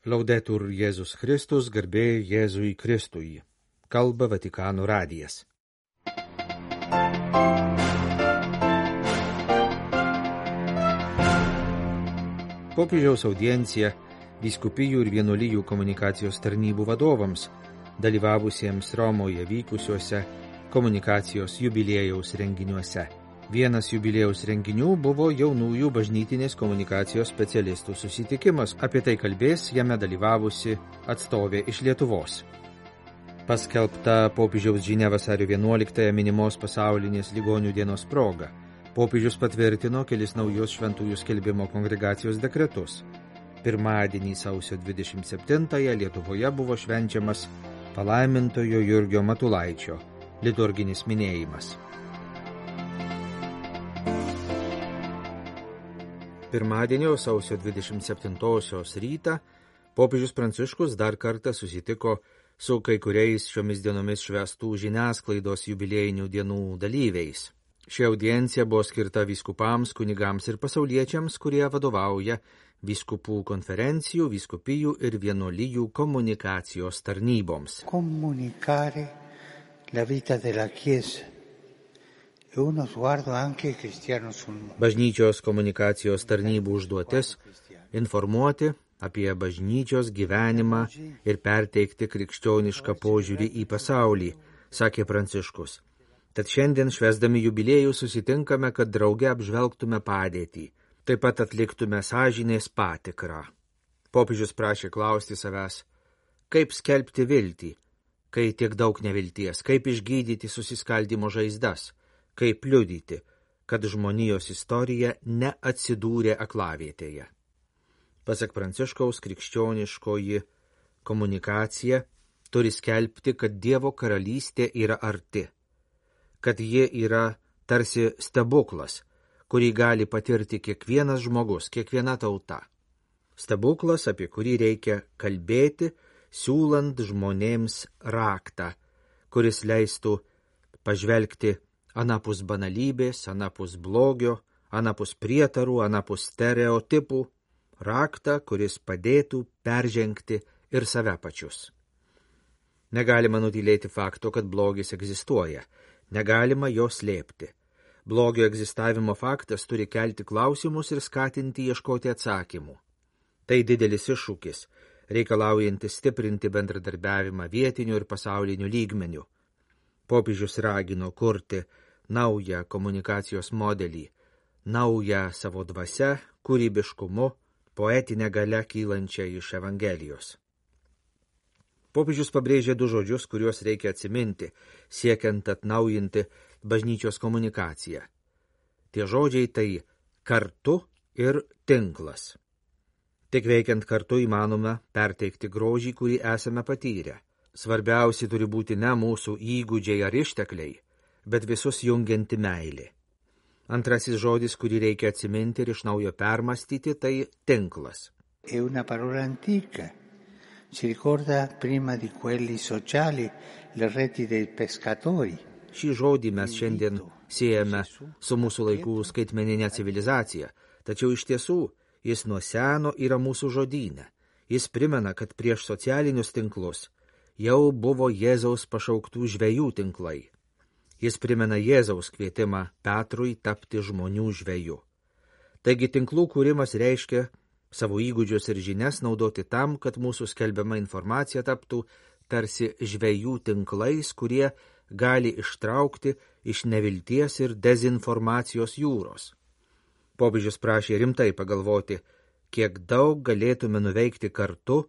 Laudetur Jėzus Kristus, garbė Jėzui Kristui. Kalba Vatikano radijas. Popiežiaus audiencija vyskupijų ir vienuolijų komunikacijos tarnybų vadovams, dalyvavusiems Romoje vykusiuose komunikacijos jubiliejaus renginiuose. Vienas jubiliejaus renginių buvo jaunųjų bažnytinės komunikacijos specialistų susitikimas. Apie tai kalbės jame dalyvavusi atstovė iš Lietuvos. Paskelbta popiežiaus žinia vasario 11 minimos pasaulinės ligonių dienos proga. Popiežius patvirtino kelis naujus šventųjų skelbimo kongregacijos dekretus. Pirmadienį sausio 27-ąją Lietuvoje buvo švenčiamas palaimintojo Jurgio Matulaičio liturginis minėjimas. Pirmadienio sausio 27-osios rytą popiežius Pranciškus dar kartą susitiko su kai kuriais šiomis dienomis švęstų žiniasklaidos jubiliejinių dienų dalyviais. Ši audiencija buvo skirta vyskupams, kunigams ir pasauliečiams, kurie vadovauja vyskupų konferencijų, vyskupijų ir vienuolijų komunikacijos tarnyboms. Comunicare la vita della Chiesa. Bažnyčios komunikacijos tarnybų užduotis – informuoti apie bažnyčios gyvenimą ir perteikti krikščionišką požiūrį į pasaulį, sakė Pranciškus. Tad šiandien švęsdami jubiliejų susitinkame, kad drauge apžvelgtume padėtį, taip pat atliktume sąžinės patikrą. Popiežius prašė klausti savęs, kaip skelbti viltį, kai tiek daug nevilties, kaip išgydyti susiskaldymo žaizdas, kaip liudyti, kad žmonijos istorija neatsidūrė aklavietėje. Pasak Pranciškaus, krikščioniškoji komunikacija turi skelbti, kad Dievo karalystė yra arti, kad ji yra tarsi stebuklas, kurį gali patirti kiekvienas žmogus, kiekviena tauta. Stebuklas, apie kurį reikia kalbėti, siūlant žmonėms raktą, kuris leistų pažvelgti anapus banalybės, anapus blogio, anapus prietarų, anapus stereotipų, raktą, kuris padėtų peržengti ir save pačius. Negalima nutylėti fakto, kad blogis egzistuoja, negalima jo slėpti. Blogio egzistavimo faktas turi kelti klausimus ir skatinti ieškoti atsakymų. Tai didelis iššūkis, reikalaujantis stiprinti bendradarbiavimą vietiniu ir pasauliniu lygmeniu. Popiežius ragino kurti naują komunikacijos modelį, naują savo dvasia, kūrybiškumu, poetinę galią kylančią iš Evangelijos. Popiežius pabrėžė du žodžius, kuriuos reikia atsiminti, siekiant atnaujinti bažnyčios komunikaciją. Tie žodžiai tai kartu ir tinklas. Tik veikiant kartu įmanoma perteikti grožį, kurį esame patyrę. Svarbiausi turi būti ne mūsų įgūdžiai ar ištekliai, bet visus jungianti meilė. Antrasis žodis, kurį reikia atsiminti ir iš naujo permastyti, tai tinklas. È una parola antica. Si ricorda prima di quelli sociali le reti dei pescatori. Šį žodį mes šiandien siejame su mūsų laikų skaitmeninė civilizacija, tačiau iš tiesų jis nuo seno yra mūsų žodyne. Jis primena, kad prieš socialinius tinklus jau buvo Jėzaus pašauktų žvejų tinklai. Jis primena Jėzaus kvietimą Petrui tapti žmonių žveju. Taigi tinklų kūrimas reiškia savo įgūdžius ir žinias naudoti tam, kad mūsų skelbiama informacija taptų tarsi žvejų tinklais, kurie gali ištraukti iš nevilties ir dezinformacijos jūros. Popiežius prašė rimtai pagalvoti, kiek daug galėtume nuveikti kartu,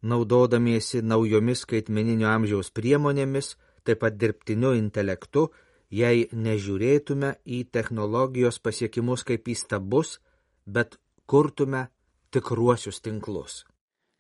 naudodamiesi naujomis skaitmeninio amžiaus priemonėmis, taip pat dirbtiniu intelektu, jei nežiūrėtume į technologijos pasiekimus kaip į stabus, bet kurtume tikruosius tinklus.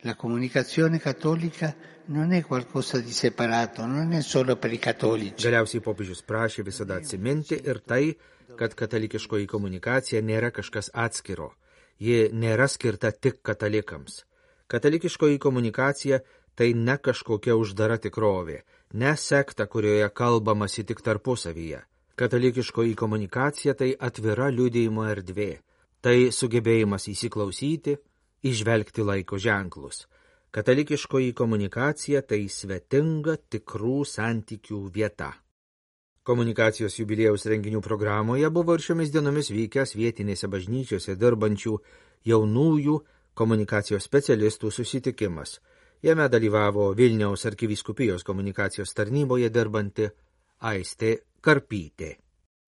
La comunicazione cattolica non è qualcosa di separato, non è solo per I cattolici. Galiausiai popiežius prašė visada atsiminti ir tai, kad katalikiškoji komunikacija nėra kažkas atskiro. Ji nėra skirta tik katalikams. Katalikiškoji komunikacija tai ne kažkokia uždara tikrovė, ne sekta, kurioje kalbamasi tik tarpusavyje. Katalikiškoji komunikacija tai atvira liudijimo erdvė. Tai sugebėjimas įsiklausyti, įžvelgti laiko ženklus. Katalikiškoji komunikacija tai svetinga tikrų santykių vieta. Komunikacijos jubiliejaus renginių programoje buvo ir šiomis dienomis vykęs vietinėse bažnyčiose dirbančių jaunųjų komunikacijos specialistų susitikimas. Jame dalyvavo Vilniaus arkivyskupijos komunikacijos tarnyboje dirbanti Aistė Karpytė.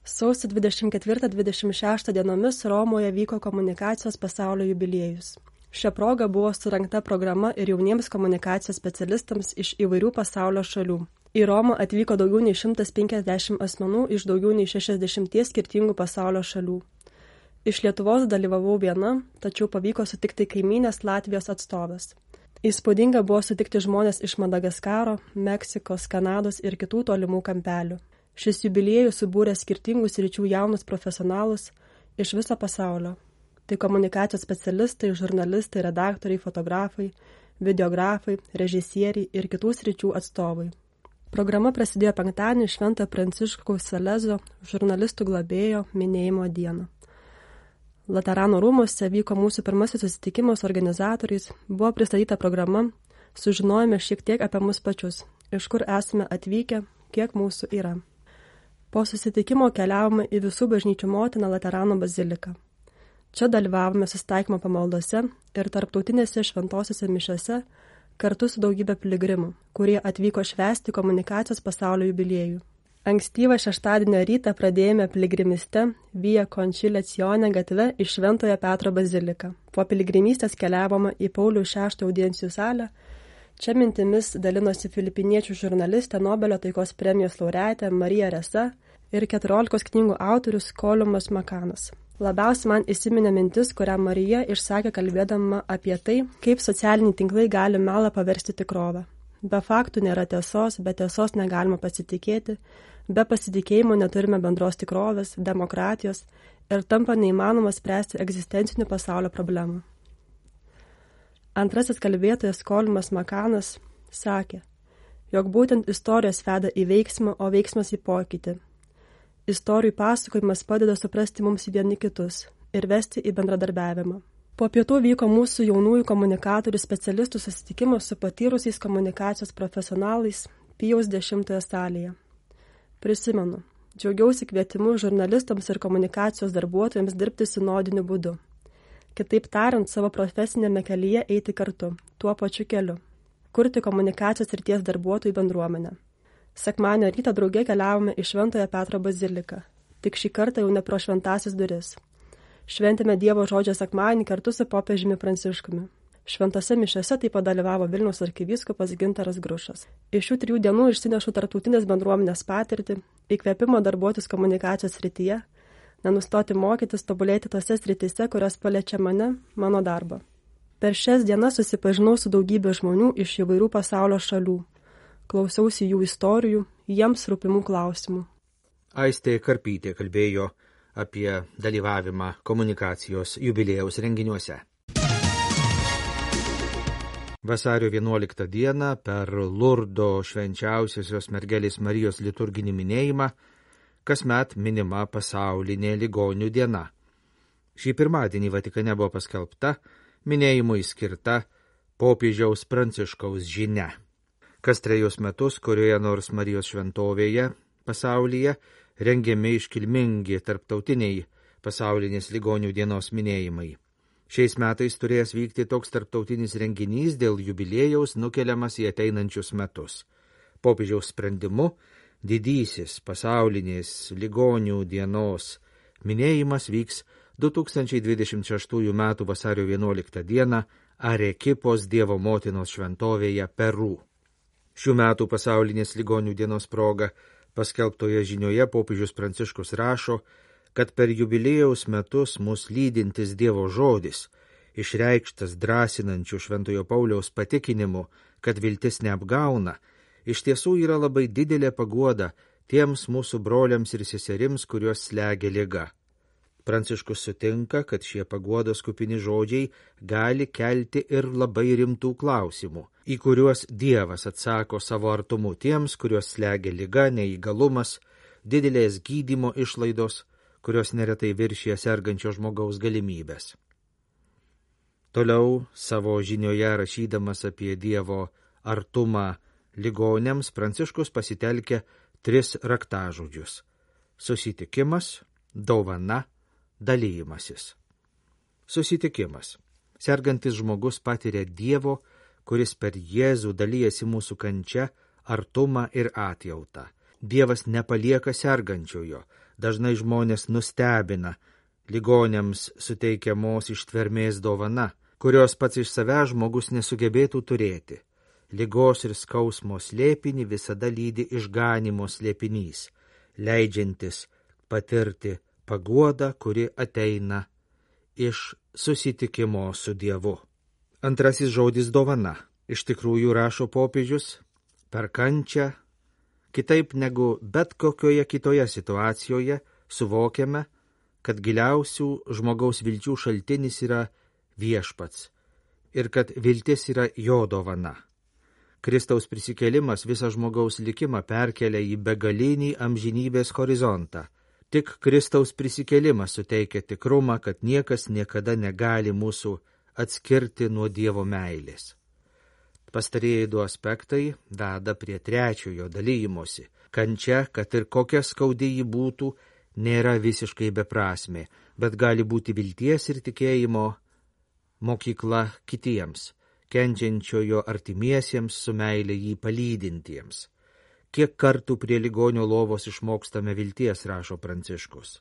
Sausio 24-26 dienomis Romoje vyko komunikacijos pasaulio jubiliejus. Šia proga buvo surengta programa ir jauniems komunikacijos specialistams iš įvairių pasaulio šalių. Į Romą atvyko daugiau nei 150 asmenų iš daugiau nei 60 skirtingų pasaulio šalių. Iš Lietuvos dalyvavau viena, tačiau pavyko sutikti kaimynės Latvijos atstovės. Įspūdinga buvo sutikti žmonės iš Madagaskaro, Meksikos, Kanados ir kitų tolimų kampelių. Šis jubiliejus subūrė skirtingų sričių jaunus profesionalus iš viso pasaulio. Tai komunikacijos specialistai, žurnalistai, redaktoriai, fotografai, videografai, režisieriai ir kitų sričių atstovai. Programa prasidėjo penktadienį Šventojo Pranciškaus Salezo žurnalistų globėjo minėjimo dieną. Laterano rūmuose vyko mūsų pirmasis susitikimas su organizatoriais, buvo pristatyta programa, sužinojome šiek tiek apie mus pačius, iš kur esame atvykę, kiek mūsų yra. Po susitikimo keliavome į visų bažnyčių motiną Laterano baziliką. Čia dalyvavome susitaikymo pamaldose ir tarptautinėse šventosiose mišiose kartu su daugybė piligrimų, kurie atvyko švęsti komunikacijos pasaulio jubiliejų. Ankstyvą šeštadienio rytą pradėjome piligrimiste Via Conciliazione gatve iš Šventojo Petro baziliką. Po piligrimystės keliavome į Pauliaus VI audiencijų salę. Čia mintimis dalinosi filipiniečių žurnalistė Nobelio taikos premijos laureatė Marija Resa ir 14 knygų autorius Kolumas Makanas. Labiausiai man įsiminė mintis, kurią Marija išsakė kalbėdama apie tai, kaip socialiniai tinklai gali melą paversti tikrovę. Be faktų nėra tiesos, be tiesos negalima pasitikėti, be pasitikėjimo neturime bendros tikrovės, demokratijos ir tampa neįmanoma spręsti egzistencinių pasaulio problemų. Antrasis kalbėtojas Kolumas Makanas sakė, jog būtent istorijos veda į veiksmą, o veiksmas į pokytį. Istorijų pasakojimas padeda suprasti mums vieni kitus ir vesti į bendradarbiavimą. Po pietų vyko mūsų jaunųjų komunikatorių specialistų susitikimas su patyrusiais komunikacijos profesionalais Pijaus 10 salėje. Prisimenu, džiaugiausi kvietimu žurnalistams ir komunikacijos darbuotojams dirbti sinodiniu būdu. Kitaip tariant, savo profesinėme kelyje eiti kartu, tuo pačiu keliu, kurti komunikacijos srities darbuotojų bendruomenę. Sekmadienio rytą drauge keliavome į Šventojo Petro baziliką, tik šį kartą jau ne pro šventąsias duris. Šventėme Dievo žodžio sekmadienį kartu su popiežiumi Pranciškumi. Šventose mišiose taip pat dalyvavo Vilniaus arkivyskupas Gintaras Grušas. Iš šių 3 dienų išsinešu tarptautinės bendruomenės patirtį, įkvėpimo darbuotis komunikacijos srityje, nenustoti mokytis, tobulėti tose srityse, kurios paliečia mane, mano darbą. Per šias dienas susipažinau su daugybė žmonių iš įvairių pasaulio šalių. Klausiausi jų istorijų, jiems rūpimų klausimų. Aistė Karpytė kalbėjo apie dalyvavimą komunikacijos jubiliejaus renginiuose. Vasario 11 dieną per Lurdo švenčiausiosios mergelės Marijos liturginį minėjimą kasmet minima pasaulinė ligonių diena. Šį pirmadienį Vatikane buvo paskelbta minėjimui skirta popiežiaus Pranciškaus žinia. Kas 3 metus, kurioje nors Marijos šventovėje pasaulyje rengiami iškilmingi tarptautiniai pasaulinės ligonių dienos minėjimai. Šiais metais turės vykti toks tarptautinis renginys dėl jubiliejaus nukeliamas į ateinančius metus. Popiežiaus sprendimu didysis pasaulinės ligonių dienos minėjimas vyks 2026 m. vasario 11 d. Arekipos Dievo motinos šventovėje Peru. Šių metų pasaulinės ligonių dienos proga paskelbtoje žinioje popiežius Pranciškus rašo, kad per jubiliejaus metus mus lydintis Dievo žodis, išreikštas drąsinančių Šventojo Pauliaus patikinimu, kad viltis neapgauna, iš tiesų yra labai didelė paguoda tiems mūsų broliams ir seserims, kuriuos slegia liga. Pranciškus sutinka, kad šie paguodos kupini žodžiai gali kelti ir labai rimtų klausimų, į kuriuos Dievas atsako savo artumu tiems, kuriuos slegia liga, neįgalumas, didelės gydymo išlaidos, kurios neretai viršija sergančio žmogaus galimybės. Toliau savo žinioje rašydamas apie Dievo artumą ligoniams Pranciškus pasitelkia 3 raktažodžius – susitikimas, dovana, dalymasis. Susitikimas. Sergantis žmogus patiria Dievo, kuris per Jėzų dalyjasi mūsų kančia, artumą ir atjautą. Dievas nepalieka sergančiojo, dažnai žmonės nustebina ligoniams suteikiamos ištvermės dovana, kurios pats iš savęs žmogus nesugebėtų turėti. Ligos ir skausmo slėpinį visada lydi išganimo slėpinys, leidžiantis patirti paguodą, kuri ateina iš susitikimo su Dievu. Antrasis žodis dovana. Iš tikrųjų, rašo popiežius, per kančią, kitaip negu bet kokioje kitoje situacijoje, suvokiame, kad giliausių žmogaus vilčių šaltinis yra viešpats ir kad viltis yra jo dovana. Kristaus prisikėlimas visą žmogaus likimą perkelia į begalinį amžinybės horizontą. Tik Kristaus prisikėlimas suteikia tikrumą, kad niekas niekada negali mūsų atskirti nuo Dievo meilės. Pastarieji 2 aspektai veda prie 3 dalymosi. Kančia, kad ir kokia skaudi ji būtų, nėra visiškai beprasmė, bet gali būti vilties ir tikėjimo mokykla kitiems, kenčiančiojo artimiesiems su meilė jį palydintiems. Kiek kartų prie ligonio lovos išmokstame vilties, rašo Pranciškus.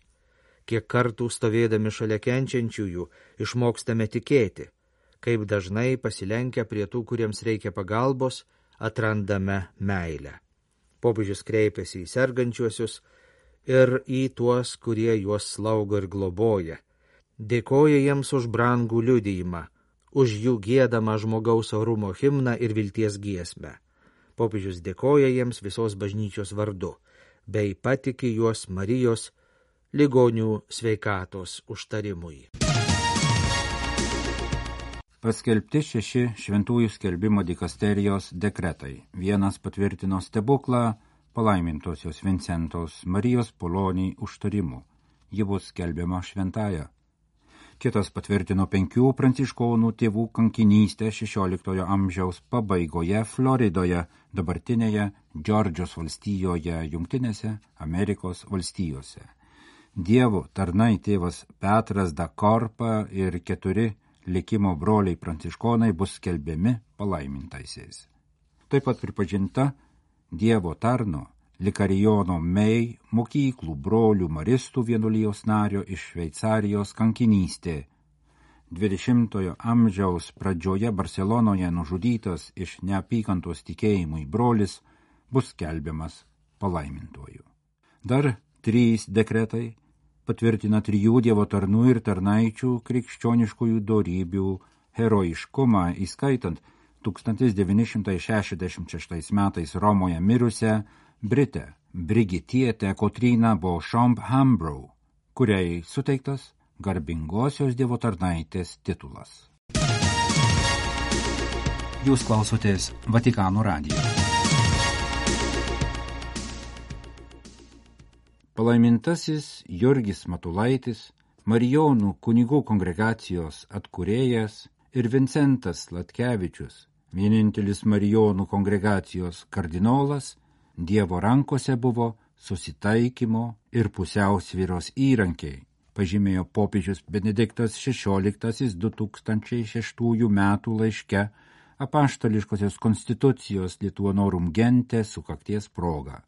Kiek kartų stovėdami šalia kenčiančiųjų išmokstame tikėti, kaip dažnai pasilenkę prie tų, kuriems reikia pagalbos, atrandame meilę. Popiežius kreipiasi į sergančiuosius ir į tuos, kurie juos slaugo ir globoja. Dėkoja jiems už brangų liudijimą, už jų giedamą žmogaus orumo himną ir vilties giesmę. Popiežius dėkoja jiems visos bažnyčios vardu, bei patiki juos Marijos ligonių sveikatos užtarimui. Paskelbti 6 šventųjų skelbimo dikasterijos dekretai. Vienas patvirtino stebuklą palaimintosios Vincentos Marijos Polonijai užtarimu. Ji bus skelbiama šventąja. Kitas patvirtino 5 pranciškonų tėvų kankinystę 16 amžiaus pabaigoje Floridoje, dabartinėje Džordžijos valstijoje, Jungtinėse Amerikos valstijose. Dievo tarnai tėvas Petras da Korpa ir 4 likimo broliai pranciškonai bus skelbiami palaimintaisiais. Taip pat pripažinta Dievo tarno Likarijono Mei mokyklų brolių maristų vienuolijos nario iš Šveicarijos kankinystė. 20 amžiaus pradžioje Barcelonoje nužudytas iš neapykantos tikėjimui brolis bus skelbiamas palaimintuoju. Dar 3 dekretai patvirtina 3 Dievo tarnų ir tarnaičių krikščioniškųjų dorybių herojiškumą, įskaitant 1966 metais Romoje mirusią Britę Brigitietę Kotryną Beauchamp-Hambrough, kuriai suteiktas garbingosios Dievo tarnaitės titulas. Jūs klausotės Vatikano radijo. Palaimintasis Jurgis Matulaitis, Marijonų kunigų kongregacijos atkūrėjas ir Vincentas Latkevičius, vienintelis Marijonų kongregacijos kardinolas, Dievo rankose buvo susitaikymo ir pusiausvyros įrankiai, pažymėjo popiežius Benediktas XVI 2006 metų laiške apaštališkosios konstitucijos Lituanorum Gente sukakties proga.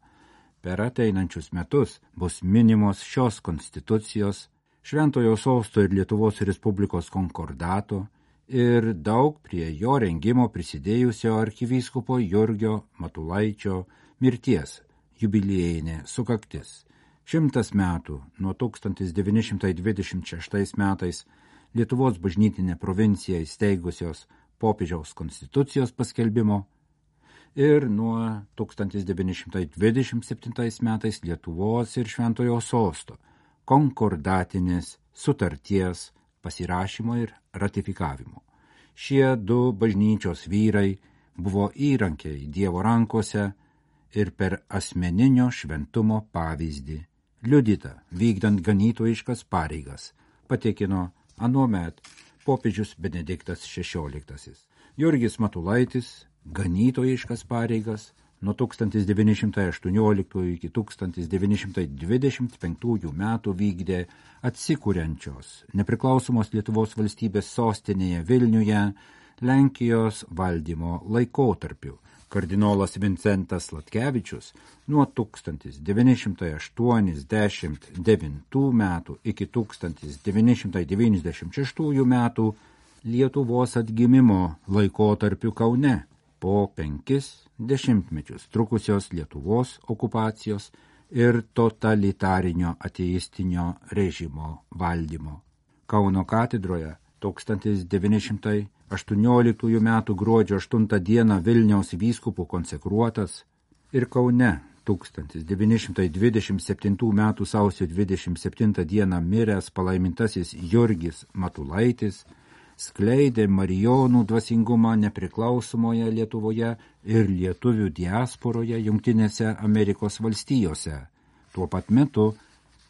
Per ateinančius metus bus minimos šios konstitucijos, Šventojo Sosto ir Lietuvos Respublikos konkordato ir daug prie jo rengimo prisidėjusio arkivyskupo Jurgio Matulaičio mirties jubiliejinė sukaktis. 100 metų nuo 1926 metais Lietuvos bažnytinė provincija įsteigusios popiežiaus konstitucijos paskelbimo ir nuo 1927 metais Lietuvos ir Šventojo Sosto konkordatinės sutarties pasirašymo ir ratifikavimo. Šie 2 bažnyčios vyrai buvo įrankiai Dievo rankose ir per asmeninio šventumo pavyzdį, liudyta vykdant ganytojiškas pareigas, patikino anuomet popiežius Benediktas XVI. Jurgis Matulaitis ganytojiškas pareigas nuo 1918 iki 1925 metų vykdė atsikuriančios nepriklausomos Lietuvos valstybės sostinėje Vilniuje Lenkijos valdymo laikotarpiu. Kardinolas Vincentas Sladkevičius nuo 1989 metų iki 1996 metų Lietuvos atgimimo laikotarpiu Kaune po 5 dešimtmečius trukusios Lietuvos okupacijos ir totalitarinio ateistinio režimo valdymo. Kauno katedroje 1918 metų gruodžio 8 dieną Vilniaus vyskupų konsekruotas ir Kaune 1927 metų sausio 27 dieną miręs palaimintasis Jurgis Matulaitis skleidė marijonų dvasingumą nepriklausomoje Lietuvoje ir lietuvių diasporoje Jungtinėse Amerikos valstijose. Tuo pat metu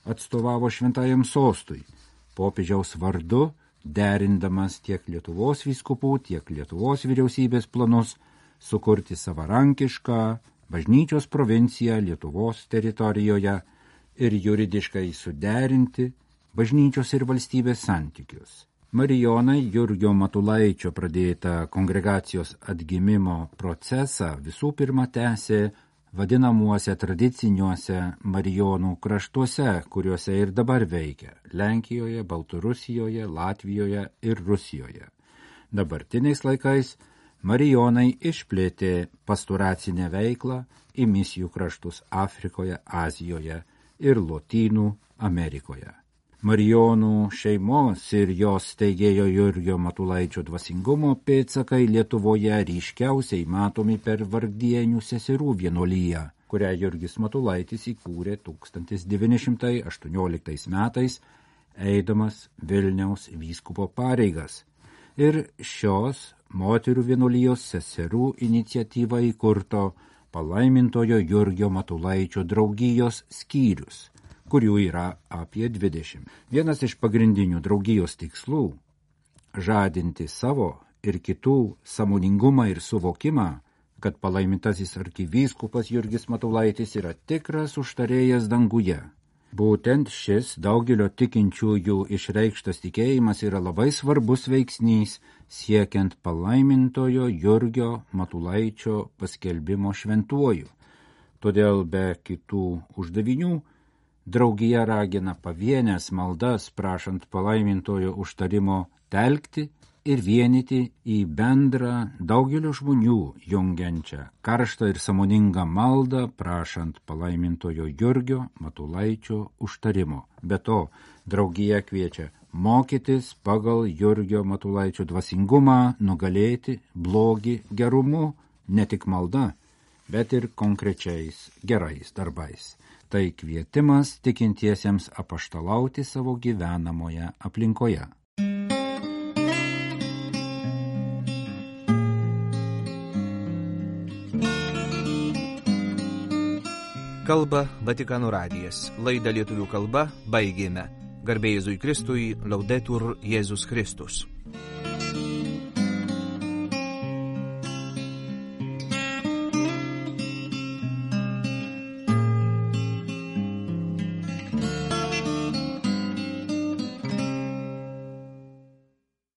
atstovavo Šventajam sostui, popiežiaus vardu, derindamas tiek Lietuvos vyskupų, tiek Lietuvos vyriausybės planus sukurti savarankišką bažnyčios provinciją Lietuvos teritorijoje ir juridiškai suderinti bažnyčios ir valstybės santykius. Marijonai Jurgio Matulaičio pradėtą kongregacijos atgimimo procesą visų pirma tęsė vadinamuose tradiciniuose marijonų kraštuose, kuriuose ir dabar veikia – Lenkijoje, Baltarusijoje, Latvijoje ir Rusijoje. Dabartiniais laikais marijonai išplėtė pastoracinę veiklą į misijų kraštus Afrikoje, Azijoje ir Lotynų Amerikoje. Marijonų šeimos ir jos steigėjo Jurgio Matulaičio dvasingumo pėdsakai Lietuvoje ryškiausiai matomi per Vargdienių seserų vienuoliją, kurią Jurgis Matulaitis įkūrė 1918 metais, eidamas Vilniaus vyskupo pareigas. Ir šios moterų vienuolijos seserų iniciatyva įkurto palaimintojo Jurgio Matulaičio draugijos skyrius, kurių yra apie 20. Vienas iš pagrindinių draugijos tikslų – žadinti savo ir kitų sąmoningumą ir suvokimą, kad palaimintasis arkivyskupas Jurgis Matulaitis yra tikras užtarėjas danguje. Būtent šis daugelio tikinčiųjų išreikštas tikėjimas yra labai svarbus veiksnys siekiant palaimintojo Jurgio Matulaičio paskelbimo šventuoju. Todėl be kitų uždavinių draugija ragina pavienės maldas prašant palaimintojo užtarimo telkti ir vienyti į bendrą daugelio žmonių jungiančią karštą ir sąmoningą maldą prašant palaimintojo Jurgio Matulaičio užtarimo. Be to, draugija kviečia mokytis pagal Jurgio Matulaičio dvasingumą nugalėti blogį gerumu, ne tik malda, bet ir konkrečiais gerais darbais. Tai kvietimas tikintiesiems apaštalauti savo gyvenamoje aplinkoje. Kalba Vatikano radijas. Laidą lietuvių kalba baigėme. Garbė Jėzui Kristui, Laudetur Jėzus Kristus.